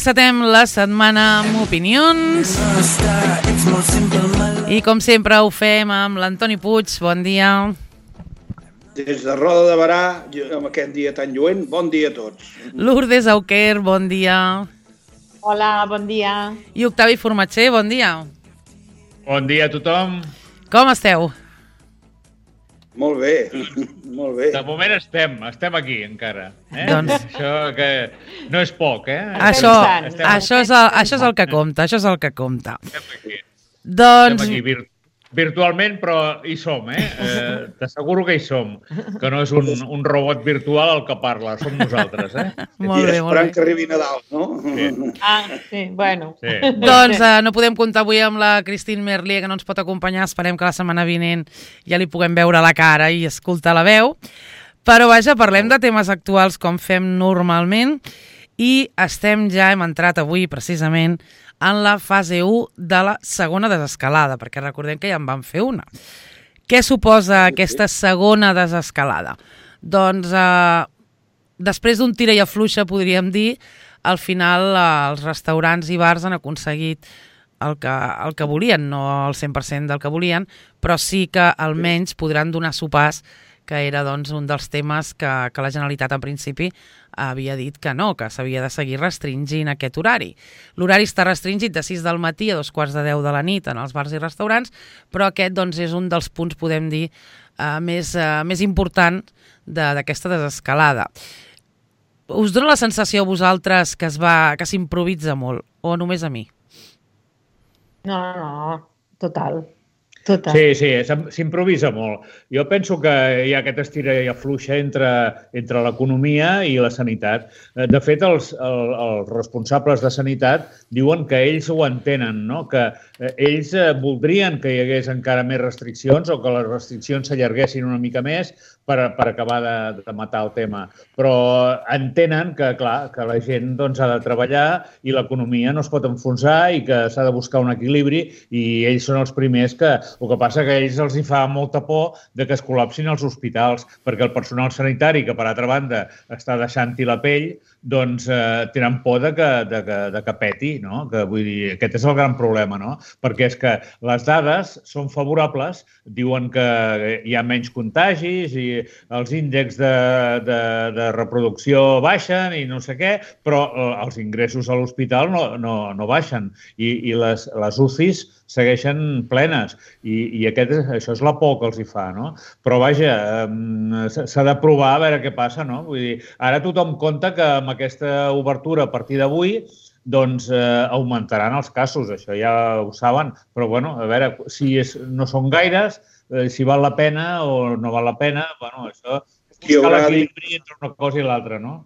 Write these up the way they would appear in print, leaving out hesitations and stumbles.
encetem la setmana amb opinions i com sempre ho fem amb l'Antoni Puig. Bon dia. Des de Roda de Berà, amb aquest dia tan lluent, bon dia a tots. Lourdes Auquer, bon dia. Hola, bon dia. I Octavi Formatger, bon dia. Bon dia a tothom. Com esteu? Molt bé, molt bé. De moment estem aquí encara. Doncs... Això que no és poc, Això és el que compta, això és el que compta. Estem aquí. Doncs... Estem aquí virtualment, però hi som, T'asseguro que hi som. Que no és un robot virtual el que parla, som nosaltres, Molt bé, molt bé. Esperant que arribi Nadal, no? Sí. Sí, bueno. Sí. Doncs no podem comptar avui amb la Christine Merlier, que no ens pot acompanyar. Esperem que la setmana vinent ja li puguem veure la cara i escoltar la veu. Però vaja, parlem de temes actuals com fem normalment i hem entrat avui precisament en la fase 1 de la segona desescalada, perquè recordem que ja en vam fer una. Què suposa aquesta segona desescalada? Doncs després d'un tira i afluixa, podríem dir, al final els restaurants i bars han aconseguit el que volien, no el 100% del que volien, però sí que almenys podran donar sopars, que era doncs, un dels temes que la Generalitat en principi havia dit que no, que s'havia de seguir restringint aquest horari. L'horari està restringit de 6 del matí a 2:45 de la nit en els bars i restaurants, però aquest doncs, és un dels punts, podem dir, més important d'aquesta desescalada. Us dona la sensació a vosaltres que s'improvisa molt, o només a mi? No, total. Sí, s'improvisa molt. Jo penso que hi ha aquest estira i afluixa entre l'economia i la sanitat. De fet, els responsables de sanitat diuen que ells ho entenen, no? Que ells voldrien que hi hagués encara més restriccions o que les restriccions s'allarguessin una mica més per acabar de matar el tema. Però entenen que, clar, que la gent doncs, ha de treballar i l'economia no es pot enfonsar i que s'ha de buscar un equilibri i ells són els primers que... El que passa que a ells els hi fa molta por de que es col·lapsin els hospitals, perquè el personal sanitari, que per altra banda està deixant-hi la pell, doncs tenen por de que peti, no? Que, vull dir, aquest és el gran problema, no? Perquè és que les dades són favorables, diuen que hi ha menys contagis i els índexs de reproducció baixen i no sé què, però els ingressos a l'hospital no baixen i les UCIs segueixen plenes i això és la por que els hi fa, no? Però, vaja, s'ha de provar a veure què passa, no? Vull dir, ara tothom compta que amb aquesta obertura a partir d'avui doncs augmentaran els casos, això ja ho saben, però, bueno, a veure, si no són gaires, si val la pena o no val la pena, bueno, això és buscar l'equilibri entre una cosa i l'altra, no?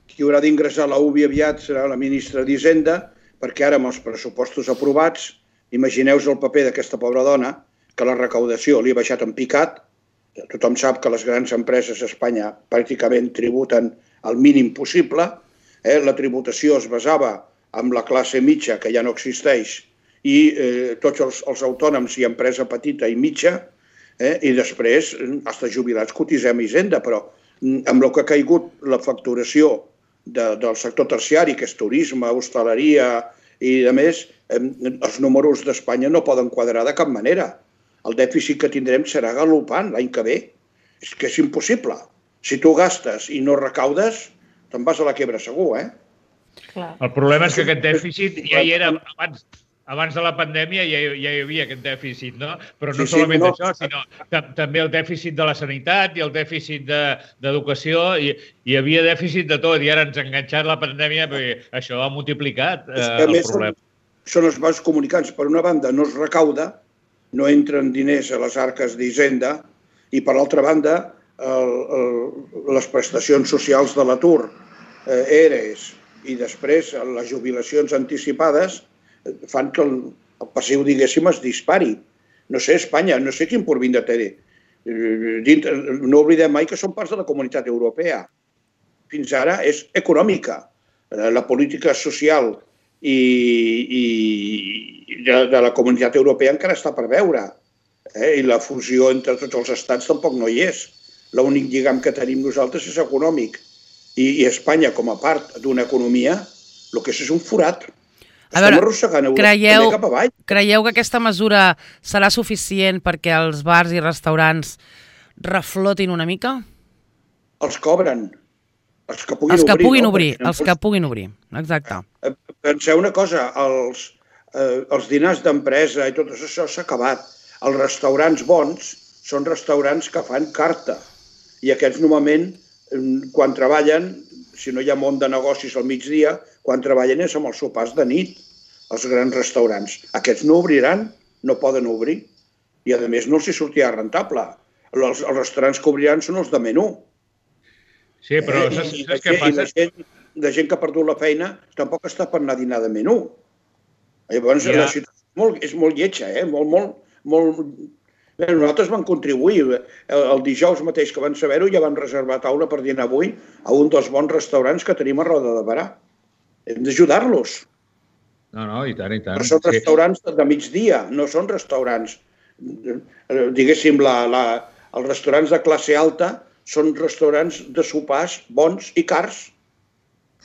Qui haurà d'ingressar a la UBI aviat serà la ministra d'Hisenda, perquè ara amb els pressupostos aprovats, imagineu-vos el paper d'aquesta pobra dona, que la recaudació li ha baixat en picat. Tothom sap que les grans empreses a Espanya pràcticament tributen el mínim possible. La tributació es basava en la classe mitja, que ja no existeix, i tots els autònoms i empresa petita i mitja, i després, fins jubilats, cotitzem a Hisenda, però amb el que ha caigut la facturació del sector terciari, que és turisme, hostaleria i, a més, els números d'Espanya no poden quadrar de cap manera. El dèficit que tindrem serà galopant l'any que ve. És que és impossible. Si tu gastes i no recaudes, te'n vas a la quebra segur, Clar. El problema és que aquest dèficit ja hi era abans de la pandèmia, ja hi havia aquest dèficit, no? Però no solament això, sinó també el dèficit de la sanitat i el dèficit d'educació. Hi havia dèficit de tot i ara ens ha enganxat la pandèmia perquè això ha multiplicat el problema. Són els vasos comunicants. Per una banda, no es recauda, no entren diners a les arques d'Hisenda i, per l'altra banda, les prestacions socials de l'atur, ERES, i després les jubilacions anticipades fan que el passiu, diguéssim, es dispari. No sé, Espanya, no sé quin porvindre té. No oblidem mai que són parts de la Comunitat Europea. Fins ara és econòmica. La política social i de la Comunitat Europea encara està per veure. I la fusió entre tots els estats tampoc no hi és. L'únic lligam que tenim nosaltres és econòmic. I Espanya, com a part d'una economia, El que és un forat. A veure, Estem arrossegant Europa també cap avall. creieu que aquesta mesura serà suficient perquè els bars i restaurants reflotin una mica? Els cobren. Els que puguin Els que obrir. puguin no? obrir, Perquè els que puguin obrir, exacte. Penseu una cosa, els dinars d'empresa i tot això s'ha acabat. Els restaurants bons són restaurants que fan carta. I aquests normalment, quan treballen, si no hi ha món de negocis al migdia, quan treballen és amb els sopars de nit, els grans restaurants. Aquests no obriran, no poden obrir. I a més no els hi sortirà rentable. Els restaurants que obriran són els de menú. Sí, però saps què passa? La gent que ha perdut la feina tampoc està per anar a dinar de menú. Llavors, la situació és molt lletja, molt... Bé, nosaltres vam contribuir. El dijous mateix que van saber-ho ja van reservar taula per dinar avui a un dels bons restaurants que tenim a Roda de Berà. Hem d'ajudar-los. No, i tant, i tant. Però són restaurants de migdia, no són restaurants. Diguéssim, els restaurants de classe alta són restaurants de sopars bons i cars.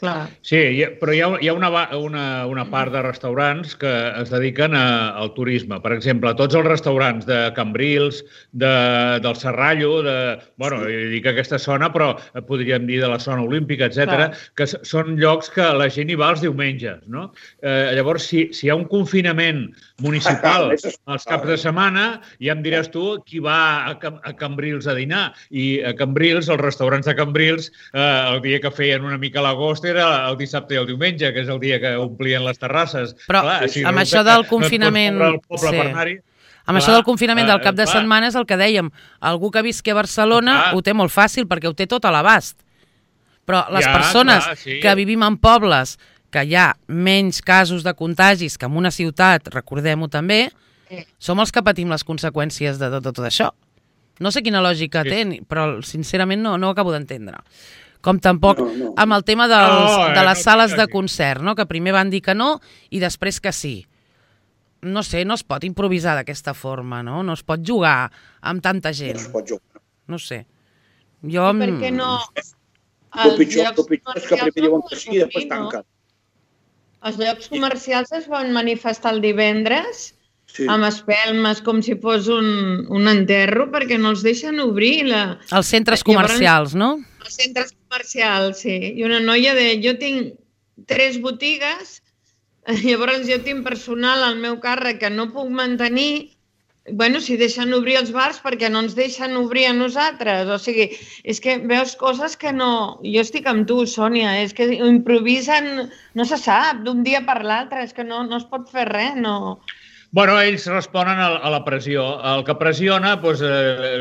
Clar. Sí, però hi ha una part de restaurants que es dediquen al turisme. Per exemple, tots els restaurants de Cambrils, del Serrallo, dic aquesta zona, però podríem dir de la zona olímpica, etc., que són llocs que la gent hi va els diumenges, no? Llavors, si hi ha un confinament municipal als caps de setmana, ja em diràs tu qui va a Cambrils a dinar. I a Cambrils, els restaurants de Cambrils, el dia que feien una mica l'agost era el dissabte i el diumenge, que és el dia que omplien les terrasses. Però amb això del confinament... Amb això del confinament del cap de setmana és el que dèiem. Algú que visqui a Barcelona ho té molt fàcil perquè ho té tot a l'abast. Però les persones que vivim en pobles que hi ha menys casos de contagis que en una ciutat, recordem-ho també, som els que patim les conseqüències de tot això. No sé quina lògica té, però sincerament no ho acabo d'entendre. Com tampoc amb el tema de les sales de concert, que primer van dir que no i després que sí. No sé, no es pot improvisar d'aquesta forma, no? No es pot jugar amb tanta gent. No es pot jugar. No sé. Per què no? El pitjor és que primer diuen que sí i després tanquen. Els llocs comercials es van manifestar el divendres amb espelmes com si fos un enterro perquè no els deixen obrir. Els centres comercials, no? Els centres comercials, sí. I una noia deia, jo tinc 3 botigues, llavors jo tinc personal al meu càrrec que no puc mantenir, si deixen obrir els bars perquè no ens deixen obrir a nosaltres. O sigui, és que veus coses que no... Jo estic amb tu, Sònia, és que improvisen, no se sap, d'un dia per l'altre, és que no es pot fer res, no... Bueno, ells responen a la pressió. El que pressiona,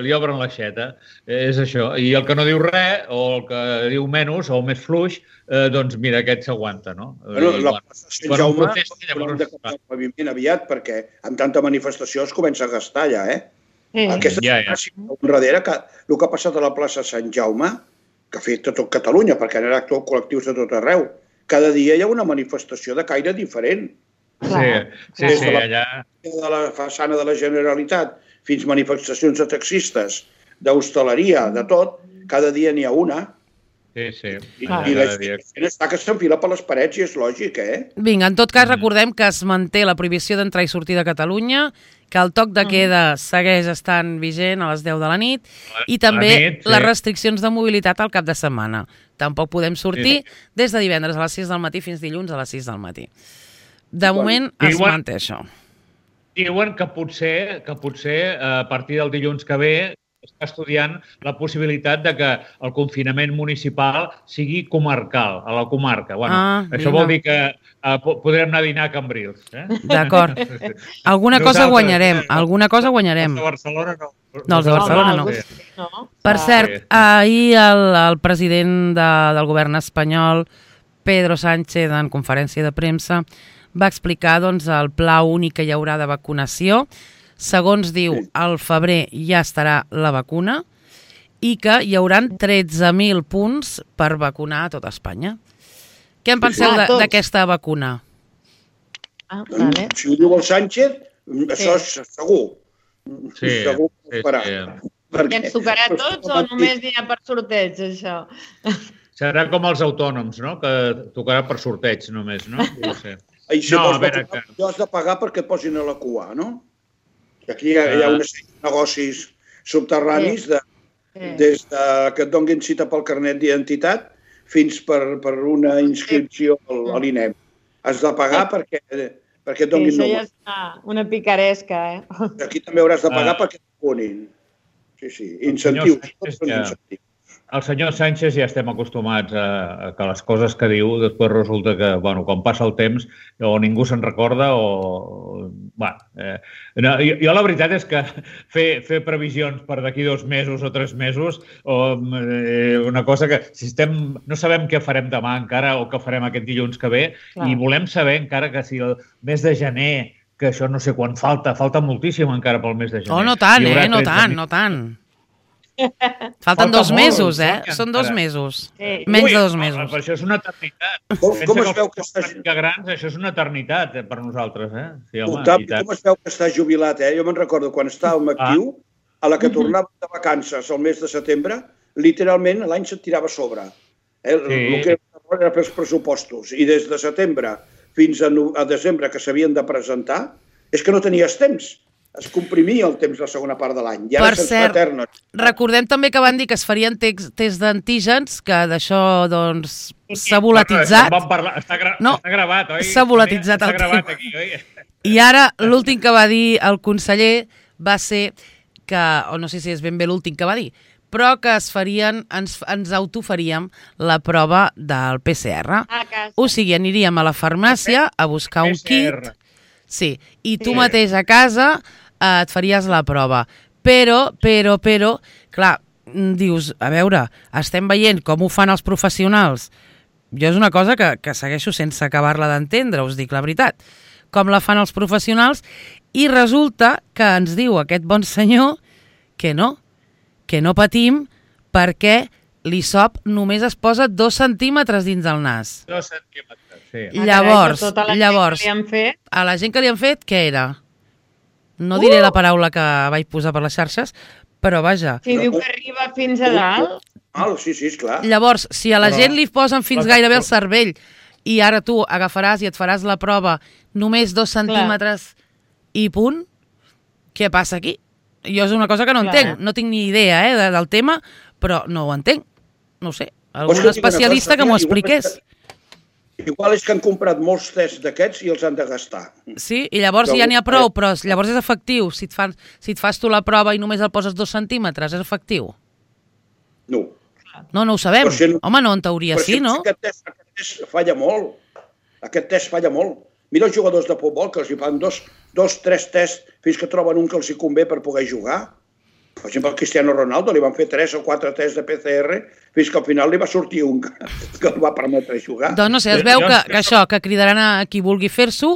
li obren l'aixeta. És això. I el que no diu res, o el que diu menys, o més fluix, doncs mira, aquest s'aguanta, no? La plaça Sant Jaume haurem de canviar el paviment aviat, perquè amb tanta manifestació es comença a gastar ja, Aquesta situació darrere, el que ha passat a la plaça Sant Jaume, que ha fet tot Catalunya, perquè han anat col·lectius de tot arreu, cada dia hi ha una manifestació de caire diferent. Sí, allà... De la façana de la Generalitat fins manifestacions de taxistes, d'hostaleria, de tot, cada dia n'hi ha una. Sí. I la gent està que s'enfila per les parets i és lògic, Vinga, en tot cas recordem que es manté la prohibició d'entrar i sortir de Catalunya, que el toc de queda segueix estant vigent a les 10 de la nit i també les restriccions de mobilitat al cap de setmana. Tampoc podem sortir des de divendres a les 6 del matí fins dilluns a les 6 del matí. De moment es manté això. Diuen que potser a partir del dilluns que ve està estudiant la possibilitat de que el confinament municipal sigui comarcal, a la comarca. Això vol dir que podrem anar a dinar a Cambrils. D'acord. Alguna cosa guanyarem. Els de Barcelona no. No, els de Barcelona no. Per cert, ahir el president del govern espanyol, Pedro Sánchez, en conferència de premsa, va explicar el pla únic que hi haurà de vacunació. Segons diu, al febrer ja estarà la vacuna i que hi haurà 13.000 punts per vacunar a tot Espanya. Què en penseu d'aquesta vacuna? Si ho diu el Sánchez, això és segur. Segur que ho farà. I ens tocarà a tots o només n'hi ha per sorteig, això? Serà com els autònoms, no? Que tocarà per sorteig només, no? No sé. I si vols has de pagar perquè et posin a la cua, no? Aquí hi ha una sèrie de negocis subterranis des que et donguin cita pel carnet d'identitat fins per una inscripció a l'INEM. Has de pagar perquè et donguin número. Això ja està una picaresca, Aquí també hauràs de pagar perquè et punin. Sí. Incentius. El senyor Sánchez ja estem acostumats a que les coses que diu després resulta que, bueno, quan passa el temps o ningú se'n recorda o... Jo la veritat és que fer previsions per d'aquí 2 mesos o 3 mesos o una cosa que si no sabem què farem demà encara o què farem aquest dilluns que ve i volem saber encara que si el mes de gener, que això no sé quan falta moltíssim encara pel mes de gener. Oh, no tant, no tant. Falten 2 mesos, Són 2 mesos. Menys de 2 mesos. Per això és una eternitat. Com es veu que estàs... grans, això és una eternitat per nosaltres, Sí, home, com es veu que estàs jubilat, Jo me'n recordo, quan estàvem actiu, a la que tornàvem de vacances el mes de setembre, literalment l'any se't tirava a sobre. El que era per els pressupostos. I des de setembre fins a desembre que s'havien de presentar, és que no tenies temps. Es comprimia el temps la segona part de l'any. Per cert, recordem també que van dir que es farien tests d'antígens, que d'això, doncs, s'ha volatitzat. Està gravat, oi? S'ha volatitzat el tema. I ara, l'últim que va dir el conseller va ser que, o no sé si és ben bé l'últim que va dir, però que ens autofaríem la prova del PCR. O sigui, aniríem a la farmàcia a buscar un kit. Sí, i tu mateix a casa et faries la prova. Però, clar, dius, a veure, estem veient com ho fan els professionals. Jo és una cosa que segueixo sense acabar-la d'entendre, us dic la veritat. Com la fan els professionals i resulta que ens diu aquest bon senyor que no patim perquè l'hisop només es posa 2 centímetres dins del nas. 2 centímetres. Sí. Llavors, a la gent que li han fet, què era? No diré la paraula que vaig posar per les xarxes, però vaja. Si diu que arriba fins a dalt. Sí, esclar. Llavors, si a la gent li posen fins gairebé el cervell i ara tu agafaràs i et faràs la prova només 2 centímetres i punt, què passa aquí? Jo és una cosa que no entenc. No tinc ni idea del tema, però no ho entenc. No ho sé. Algun especialista que m'ho expliqués. Igual és que han comprat molts tests d'aquests i els han de gastar. Sí, i llavors ja n'hi ha prou, però llavors és efectiu. Si et fas tu la prova i només el poses 2 centímetres, és efectiu? No. No ho sabem. Home, no, en teoria sí, no? Aquest test falla molt. Aquest test falla molt. Mira els jugadors de futbol que els hi fan 2-3 tests fins que troben un que els hi convé per poder jugar. Per exemple, al Cristiano Ronaldo li van fer 3 o 4 tests de PCR fins que al final li va sortir un que el va permetre jugar. Doncs no sé, es veu que cridaran a qui vulgui fer-s'ho,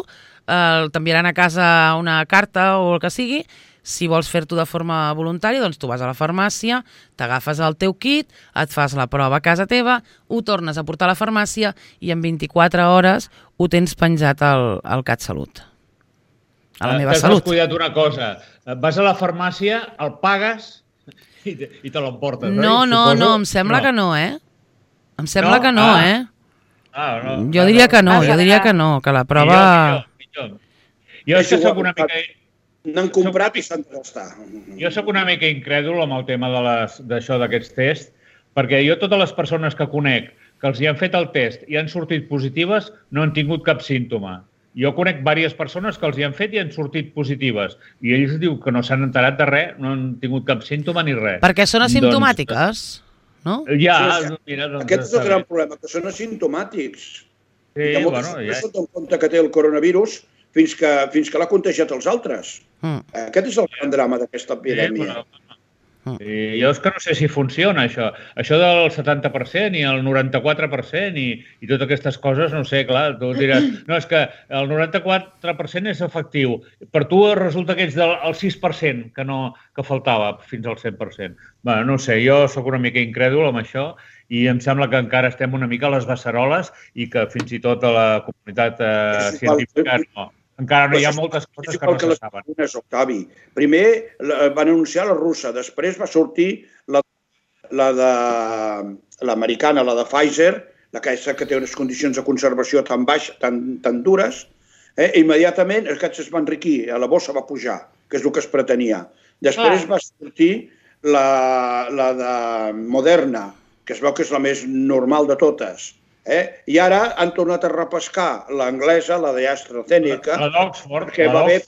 t'enviaran a casa una carta o el que sigui. Si vols fer-t'ho de forma voluntària, doncs tu vas a la farmàcia, t'agafes el teu kit, et fas la prova a casa teva, ho tornes a portar a la farmàcia i en 24 hores ho tens penjat al CatSalut. A la meva salut. T'has cuidat una cosa. Vas a la farmàcia, el pagues i te l'emportes, oi? No, em sembla que no, Em sembla que no, Jo diria que no, que la prova... Millor. Jo és que soc una mica... N'han comprat i s'han de gastar. Jo soc una mica incrèdul amb el tema d'això d'aquests tests, perquè jo totes les persones que conec que els hi han fet el test i han sortit positives no han tingut cap símptoma. Jo conec diverses persones que els hi han fet i han sortit positives. I ells diuen que no s'han enterat de res, no han tingut cap símptoma ni res. Perquè són asimptomàtiques, no? Ja, mira... Aquest és el gran problema, que són asimptomàtics. Sí, bueno, ja... No s'ha donat compte que té el coronavirus fins que l'ha contagiat als altres. Aquest és el gran drama d'aquesta epidèmia. Jo és que no sé si funciona, això. Això del 70% i el 94% i totes aquestes coses, no sé, clar, tu diràs, no, és que el 94% és efectiu. Per tu resulta que ets del 6% que faltava fins al 100%. Bé, no sé, jo sóc una mica incrèdul amb això i em sembla que encara estem una mica a les beceroles i que fins i tot a la comunitat científica no. Encara no hi ha moltes coses que no se saben. Octavi. Primer van anunciar la russa, després va sortir l'americana, la de Pfizer, aquesta que té unes condicions de conservació tan baixes, tan dures, immediatament aquests es van enriquir, la bossa va pujar, que és el que es pretenia. Després va sortir la de Moderna, que es veu que és la més normal de totes. I ara han tornat a repescar l'anglesa, la d'AstraZeneca, la d'Oxford, perquè va bé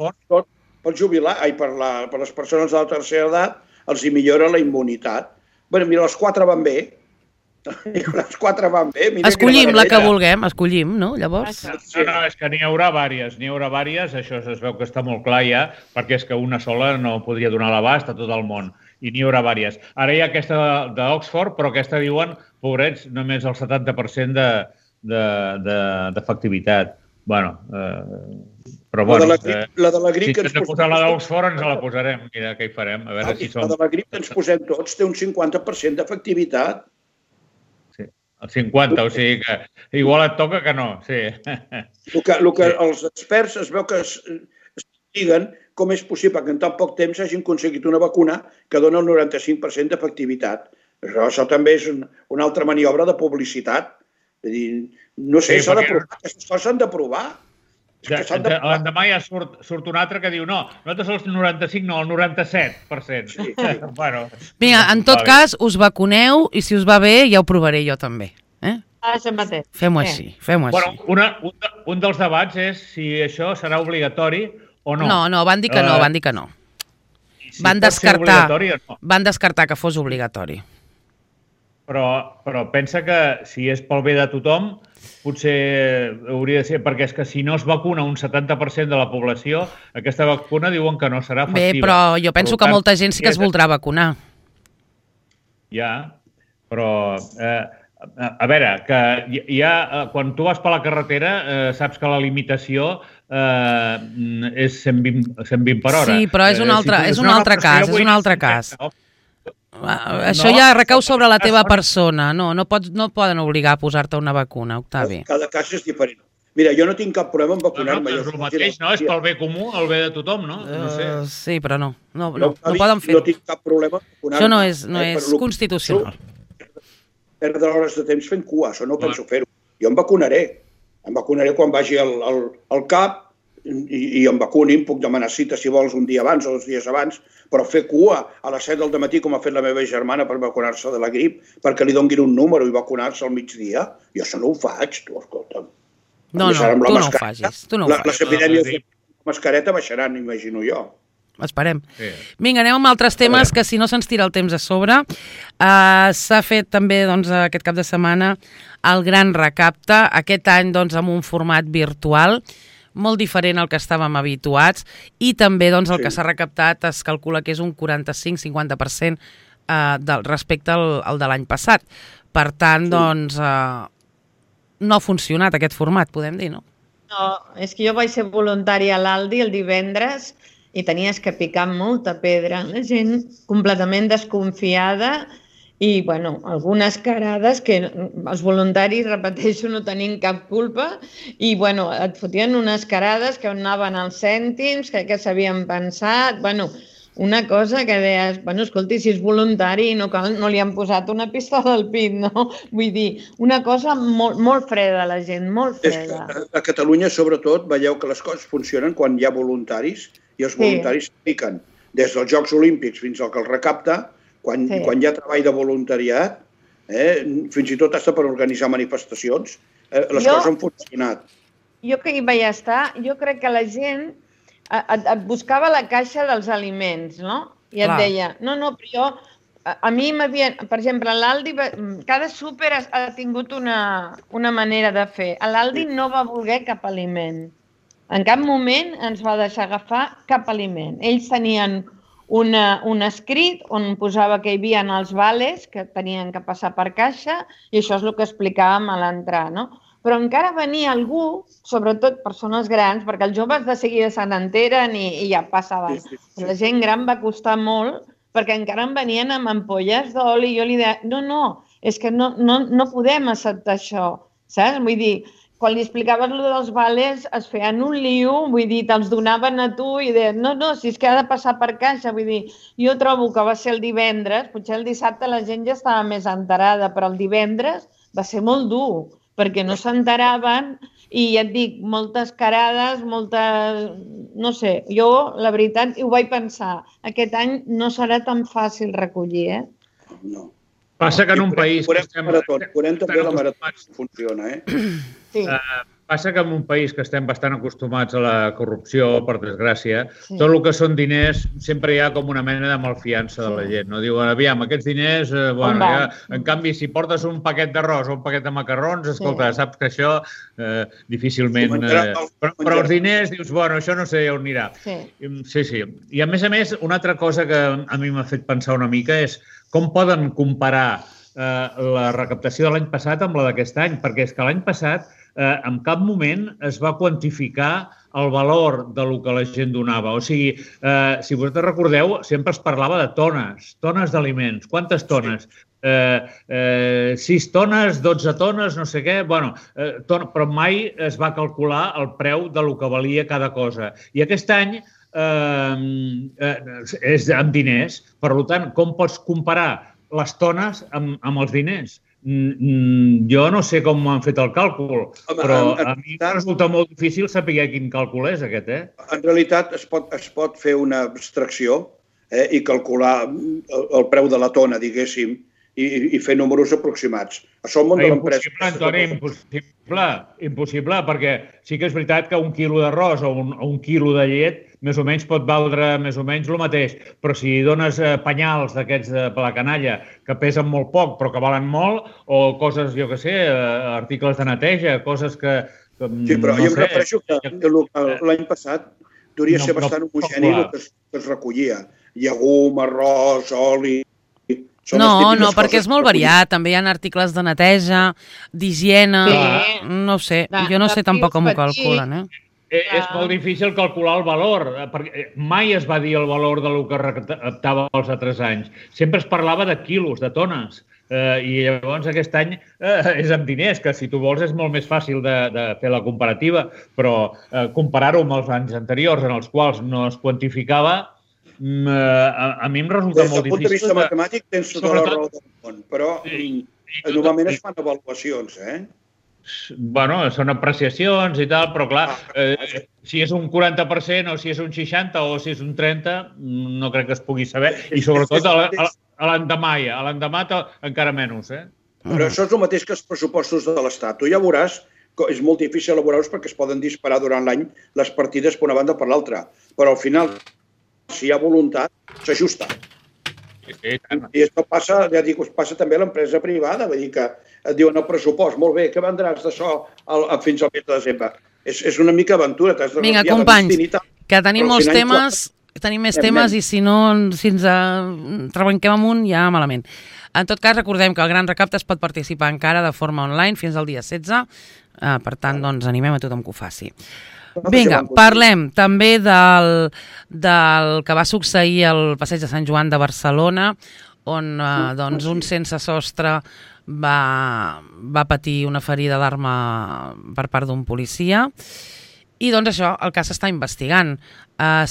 per jubilar, per les persones de la tercera edat, els hi millora la immunitat. Bé, mira, les 4 van bé. Les 4 van bé. Escollim la que vulguem, escollim, no? Llavors... No, és que n'hi haurà vàries, això es veu que està molt clar ja, perquè és que una sola no podria donar l'abast a tot el món. I n'hi haurà vàries. Ara hi ha aquesta d'Oxford, però aquesta diuen, pobrets, només el 70% d'efectivitat. Bueno, però bueno... La de la grip que ens posem... la d'Oxford ens la posarem, mira què hi farem, a veure si som... La de la grip que ens posem tots té un 50% d'efectivitat. Sí, el 50, o sigui que igual et toca que no, sí. El que els experts es veu que es diguen com és possible que en tan poc temps hagin aconseguit una vacuna que dona el 95% d'efectivitat. Això també és una altra maniobra de publicitat. No sé, s'ha de provar. Aquestes coses s'han de provar. L'endemà ja surt un altre que diu no, nosaltres el 95, no, el 97%. Sí. Bueno, mira, en tot cas, us vacuneu i si us va bé ja ho provaré jo també. Fem-ho així, fem-ho així. Bueno, un dels debats és si això serà obligatori o no. No, van dir que no, van dir que no. Van descartar que fos obligatori. Però pensa que si és pel bé de tothom, potser hauria de ser, perquè és que si no es vacuna un 70% de la població, aquesta vacuna diuen que no serà efectiva. Bé, però jo penso que molta gent sí que es voldrà vacunar. Ja, però... A veure, que quan tu vas per la carretera saps que la limitació és 120 per hora. Sí, però és un altre cas. Això ja recau sobre la teva persona. No poden obligar a posar-te una vacuna, Octavi. Cada cas és diferent. Mira, jo no tinc cap problema en vacunar-me. No, és el mateix, no? És pel bé comú, el bé de tothom, no? Sí, però no poden fer-ho. No tinc cap problema en vacunar-me. Això no és constitucional. Perdre hores de temps fent cua, això no penso fer-ho. Jo em vacunaré. Em vacunaré quan vagi al CAP i em vacuni, em puc demanar cita si vols un dia abans o 2 dies abans, però fer cua a les 7 del matí com ha fet la meva germana per vacunar-se de la grip, perquè li donguin un número i vacunar-se al migdia, jo això no ho faig, tu, escolta'm. No, tu no ho facis. Les epidèmies de mascareta baixaran, imagino jo. Esperem. Sí. Vinga, anem amb altres temes que si no se'ns tira el temps a sobre. S'ha fet també aquest cap de setmana el Gran Recapte, aquest any amb un format virtual, molt diferent al que estàvem habituats, i també el que s'ha recaptat es calcula que és un 45-50% respecte al de l'any passat. Per tant, no ha funcionat aquest format, podem dir, no? No, és que jo vaig ser voluntària a l'Aldi el divendres i tenies que picar molta pedra. La gent completament desconfiada i, algunes carades que els voluntaris, repeteixo, no tenien cap culpa i, et fotien unes carades que anaven als cèntims, que s'havien pensat, una cosa que deies, escolti, si és voluntari no li han posat una pistola al pit, no? Vull dir, una cosa molt freda, la gent, molt freda. A Catalunya, sobretot, veieu que les coses funcionen quan hi ha voluntaris i els voluntaris s'apliquen. Des dels Jocs Olímpics fins al que el recapta, quan hi ha treball de voluntariat, fins i tot hasta per organitzar manifestacions, les coses han funcionat. Jo que hi vaig estar, jo crec que la gent et buscava la caixa dels aliments, no? I et deia, però jo... A mi m'havien... Per exemple, l'Aldi... Cada súper ha tingut una manera de fer. L'Aldi no va voler cap aliment. En cap moment ens va deixar agafar cap aliment. Ells tenien un escrit on posava que hi havia els vales que tenien que passar per caixa i això és el que explicàvem a l'entrar, no? Però encara venia algú, sobretot persones grans, perquè els joves de seguida se n'enteren i ja passaven. La gent gran va costar molt perquè encara em venien amb ampolles d'oli i jo li deia, no, és que no podem acceptar això, saps? Vull dir, quan li explicaves allò dels vales, es feien un lío, vull dir, te'ls donaven a tu i deien, no, si és que ha de passar per caixa, vull dir, jo trobo que va ser el divendres, potser el dissabte la gent ja estava més enterada, però el divendres va ser molt dur, perquè no s'enteraven i ja et dic, moltes carades, no sé, jo, la veritat, ho vaig pensar, aquest any no serà tan fàcil recollir, No. Passa que en un país... Veurem també la marató funciona, Sí. Passa que en un país que estem bastant acostumats a la corrupció, per desgràcia, tot el que són diners, sempre hi ha com una mena de malfiança de la gent. No diuen, aviam, aquests diners... En canvi, si portes un paquet d'arròs o un paquet de macarrons, escolta, saps que això difícilment... Però els diners, dius, bueno, això no sé on anirà. Sí. I a més, una altra cosa que a mi m'ha fet pensar una mica és com poden comparar la recaptació de l'any passat amb la d'aquest any, perquè és que l'any passat en cap moment es va quantificar el valor del que la gent donava. O sigui, si vosaltres recordeu, sempre es parlava de tones d'aliments. Quantes tones? 6 tones, 12 tones, no sé què. Bueno, però mai es va calcular el preu de lo que valia cada cosa. I aquest any és amb diners. Per tant, com pots comparar les tones amb els diners? Jo no sé com han fet el càlcul, però a mi em resulta molt difícil saber quin càlcul és aquest. En realitat es pot fer una abstracció i calcular el preu de la tona, diguéssim, i fer números aproximats. Això el món de l'empresa... Impossible, Antoni, impossible, perquè sí que és veritat que un quilo d'arròs o un quilo de llet més o menys pot valdre més o menys el mateix, però si dones penyals d'aquests per la canalla que pesen molt poc però que valen molt, o coses, jo què sé, articles de neteja, coses que... Sí, però jo em refereixo que l'any passat hauria ser bastant homogeni el que es recollia. Llegum, arròs, oli... No, perquè és molt variat. També hi ha articles de neteja, d'higiene... No sé, jo no sé tampoc com ho calculen, És molt difícil calcular el valor, perquè mai es va dir el valor del que recaptava els altres anys. Sempre es parlava de quilos, de tones, i llavors aquest any és amb diners, que si tu vols és molt més fàcil de fer la comparativa, però comparar-ho amb els anys anteriors en els quals no es quantificava, a mi em resulta molt difícil. Des del punt de vista matemàtic tens tota la raó del món, però normalment es fan avaluacions, Bueno, són apreciacions i tal, però clar, si és un 40% o si és un 60% o si és un 30%, no crec que es pugui saber. I sobretot a l'endemà encara menys. Però això és el mateix que els pressupostos de l'Estat. Tu ja veuràs que és molt difícil elaborar-los perquè es poden disparar durant l'any les partides per una banda o per l'altra. Però al final, si hi ha voluntat, s'ajusta. I això passa, ja dic, passa també a l'empresa privada, vull dir que et diuen el pressupost, molt bé, què vendràs d'això fins al mes de desembre? És una mica aventura. Vinga, companys, que tenim molts temes, tenim més temes i si no, si ens trebanquem amunt, ja malament. En tot cas, recordem que el Gran Recapte es pot participar encara de forma online fins al dia 16, per tant, doncs animem a tothom que ho faci. Vinga, parlem també del que va succeir al Passeig de Sant Joan de Barcelona, on un sense sostre va patir una ferida d'arma per part d'un policia. I doncs això, el cas s'està investigant.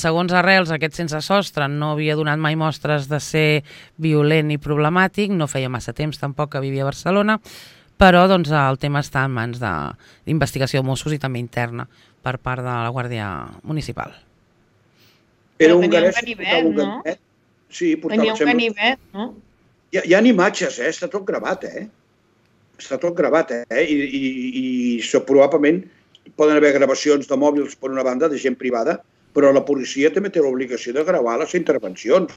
Segons Arrels, aquest sense sostre no havia donat mai mostres de ser violent i problemàtic, no feia massa temps tampoc que vivia a Barcelona, però doncs, el tema està en mans d'investigació de Mossos i també interna per part de la Guàrdia Municipal. Era un ganivet, no? Sí, tenia un ganivet, no? Hi ha imatges, està tot gravat, Està tot gravat, I probablement poden haver gravacions de mòbils per una banda de gent privada, però la policia també té l'obligació de gravar les intervencions.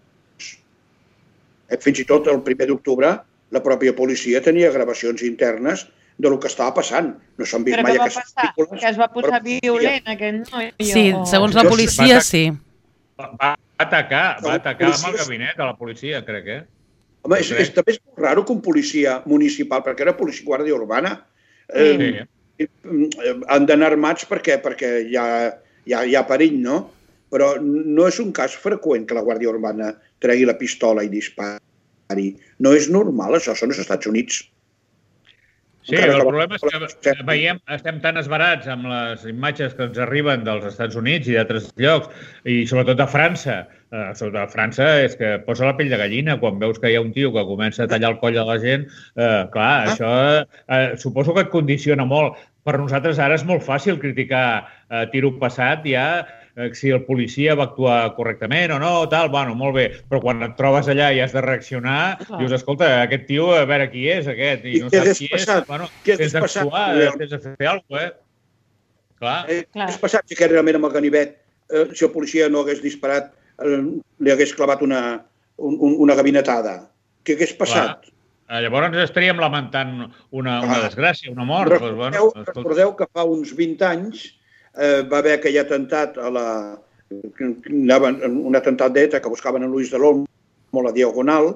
Fins i tot el 1 d'octubre la pròpia policia tenia gravacions internes del que estava passant. No s'han vist mai aquestes pel·lícules. Que es va posar violent aquell noi. Sí, segons la policia, sí. Va atacar amb el gabinet de la policia, crec, Home, també és molt raro que un policia municipal, perquè era policia guàrdia urbana, han d'anar armats perquè hi ha perill, no? Però no és un cas freqüent que la Guàrdia Urbana tregui la pistola i dispari. No és normal, això, són els Estats Units. Sí, el problema és que veiem, estem tan esbarats amb les imatges que ens arriben dels Estats Units i d'altres llocs, i sobretot de França. Sobretot a França és que posa la pell de gallina quan veus que hi ha un tio que comença a tallar el coll de la gent. Clar, això suposo que et condiciona molt. Per nosaltres ara és molt fàcil criticar tiro passat ja, si el policia va actuar correctament o no, tal, bueno, molt bé, però quan et trobes allà i has de reaccionar, dius, escolta, aquest tio, a veure qui és, aquest, i no saps qui és, bueno, tens d'actuar, tens de fer alguna cosa, Clar. Què hagués passat si aquest realment amb el ganivet, si el policia no hagués disparat, li hagués clavat una gabinetada? Què hagués passat? Llavors ens estaríem lamentant una desgràcia, una mort. Recordeu que fa uns 20 anys va haver aquell atemptat un atemptat d'ETA que buscaven a Luis de l'Olmo a la Diagonal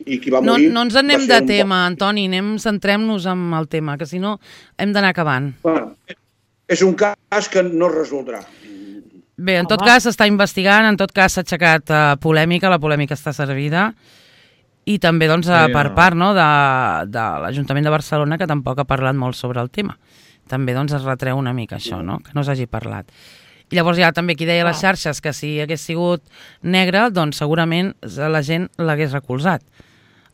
i qui va morir... No ens anem de tema, Antoni, centrem-nos en el tema, que si no hem d'anar acabant. Bueno, és un cas que no es resoldrà. Bé, en tot cas s'està investigant, en tot cas s'ha aixecat polèmica, la polèmica està servida, i també doncs, per part de l'Ajuntament de Barcelona, que tampoc ha parlat molt sobre el tema. També doncs, es retreu una mica això, no? Que no s'hagi parlat. I llavors hi ha també qui deia a les xarxes que si hagués sigut negre, doncs segurament la gent l'hagués recolzat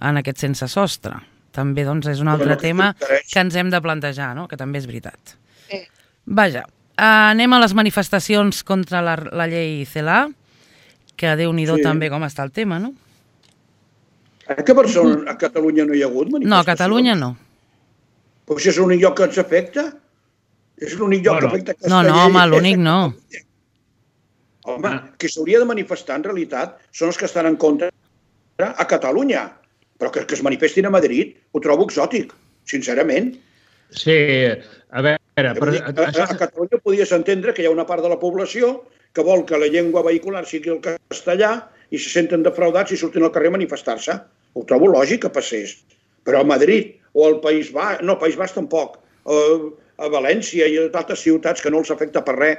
en aquest sense sostre. També doncs, és un altre tema que ens hem de plantejar, no? Que també és veritat. Vaja, anem a les manifestacions contra la llei CELA, que Déu-n'hi-do també com està el tema, no? Que a Catalunya no hi ha hagut manifestacions? No, a Catalunya no. Però això és l'únic lloc que ens afecta? És l'únic lloc que afecta aquesta llei? No, home, l'únic no. Home, que s'hauria de manifestar en realitat són els que estan en contra a Catalunya. Però que es manifestin a Madrid ho trobo exòtic, sincerament. Sí, a veure... A Catalunya podies entendre que hi ha una part de la població que vol que la llengua vehicular sigui el castellà i se senten defraudats i surten al carrer a manifestar-se. Ho trobo lògic que passés. Però a Madrid o al País Basc, no, País Basc tampoc, a València i a altres ciutats que no els afecta per res,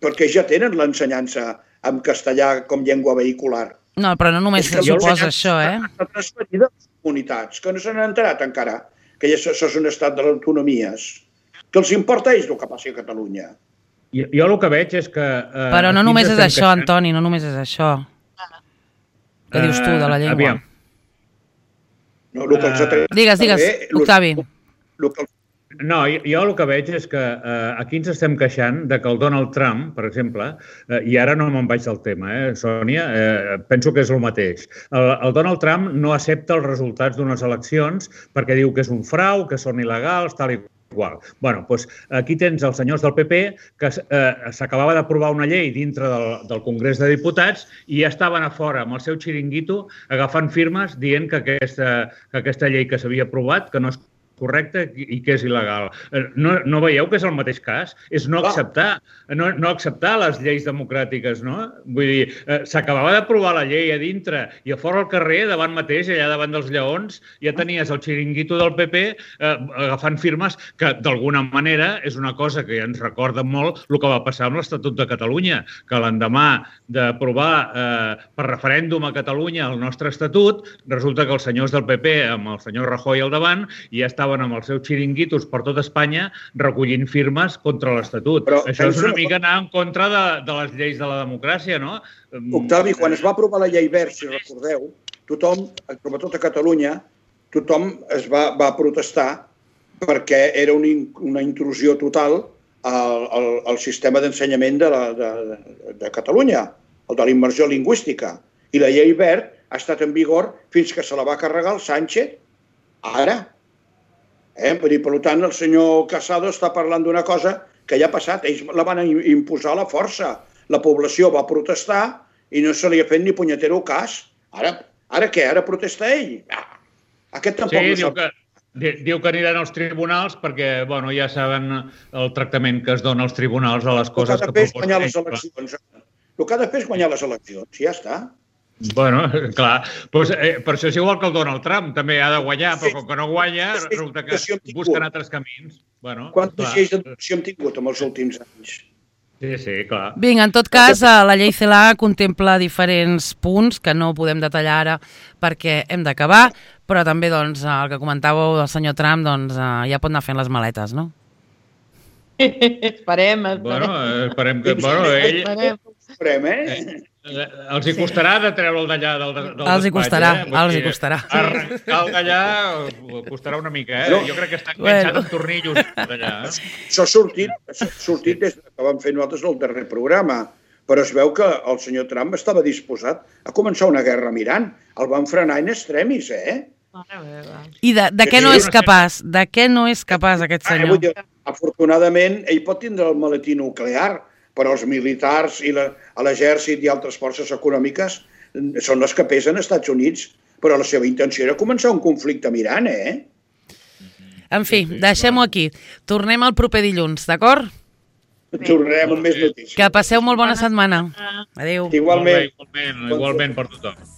perquè ja tenen l'ensenyança en castellà com llengua vehicular. No, però no només suposa això, S'ha transferit a les comunitats, que no se n'han enterat encara, que això és un estat de les autonomies. Que els importa ells el que passi a Catalunya. Jo el que veig és que... Però no només és això, Antoni, no només és això. Què dius tu de la llengua? Aviam. Digues, Octavi. No, jo el que veig és que aquí ens estem queixant de que el Donald Trump, per exemple, i ara no me'n vaig del tema, Sònia, penso que és el mateix. El Donald Trump no accepta els resultats d'unes eleccions perquè diu que és un frau, que són il·legals, tal i igual. Bueno, doncs aquí tens els senyors del PP que s'acabava d'aprovar una llei dintre del Congrés de Diputats i ja estaven a fora amb el seu xiringuito agafant firmes dient que aquesta llei que s'havia aprovat, que no és correcte i que és il·legal. No veieu que és el mateix cas? És no acceptar les lleis democràtiques, no? Vull dir, s'acabava d'aprovar la llei a dintre i a fora al carrer, davant mateix, allà davant dels lleons, ja tenies el xiringuito del PP agafant firmes que, d'alguna manera, és una cosa que ja ens recorda molt el que va passar amb l'Estatut de Catalunya, que l'endemà d'aprovar per referèndum a Catalunya el nostre estatut, resulta que els senyors del PP, amb el senyor Rajoy al davant, ja estaven amb els seus xiringuitos per tot Espanya recollint firmes contra l'Estatut. Això és una mica anar en contra de les lleis de la democràcia, no? Octavi, quan es va aprovar la llei Wert, si recordeu, tothom, sobretot a Catalunya, tothom es va protestar perquè era una intrusió total al sistema d'ensenyament de Catalunya, el de la immersió lingüística. I la llei Wert ha estat en vigor fins que se la va carregar el Sánchez, ara. Per tant, el senyor Casado està parlant d'una cosa que ja ha passat. Ells la van imposar a la força. La població va protestar i no se li ha fet ni punyetero cas. Ara què? Ara protesta ell? Aquest tampoc no sap. Diu que aniran als tribunals perquè ja saben el tractament que es dona als tribunals a les coses que proposen. El que ha de fer és guanyar les eleccions. Ja està. Bueno, clar, per això és igual que el Donald Trump, també ha de guanyar, però com que no guanya, resulta que busquen altres camins. Quantes lleis d'educació hem tingut en els últims anys? Sí, clar. Vinga, en tot cas, la llei CELA contempla diferents punts que no podem detallar ara perquè hem d'acabar, però també doncs, el que comentàveu del senyor Trump doncs, ja pot anar fent les maletes, no? Esperem. Esperem que... Esperem. Els hi costarà de treure'l d'allà del despatx. Els hi costarà. Arrencar-lo d'allà costarà una mica, Jo crec que està enganxat amb tornillos d'allà. Això ha sortit des que vam fer nosaltres el darrer programa, però es veu que el senyor Trump estava disposat a començar una guerra amb Iran. El van frenar in extremis, I de què no és capaç? De què no és capaç aquest senyor? Afortunadament, ell pot tindre el maletí nuclear, però els militars i l'exèrcit i altres forces econòmiques són les que pesen als Estats Units, però la seva intenció era començar un conflicte amb Iran, En fi, deixem-ho aquí. Tornem el proper dilluns, d'acord? Tornarem amb més notícies. Que passeu molt bona setmana. Adéu. Igualment. Igualment per tothom.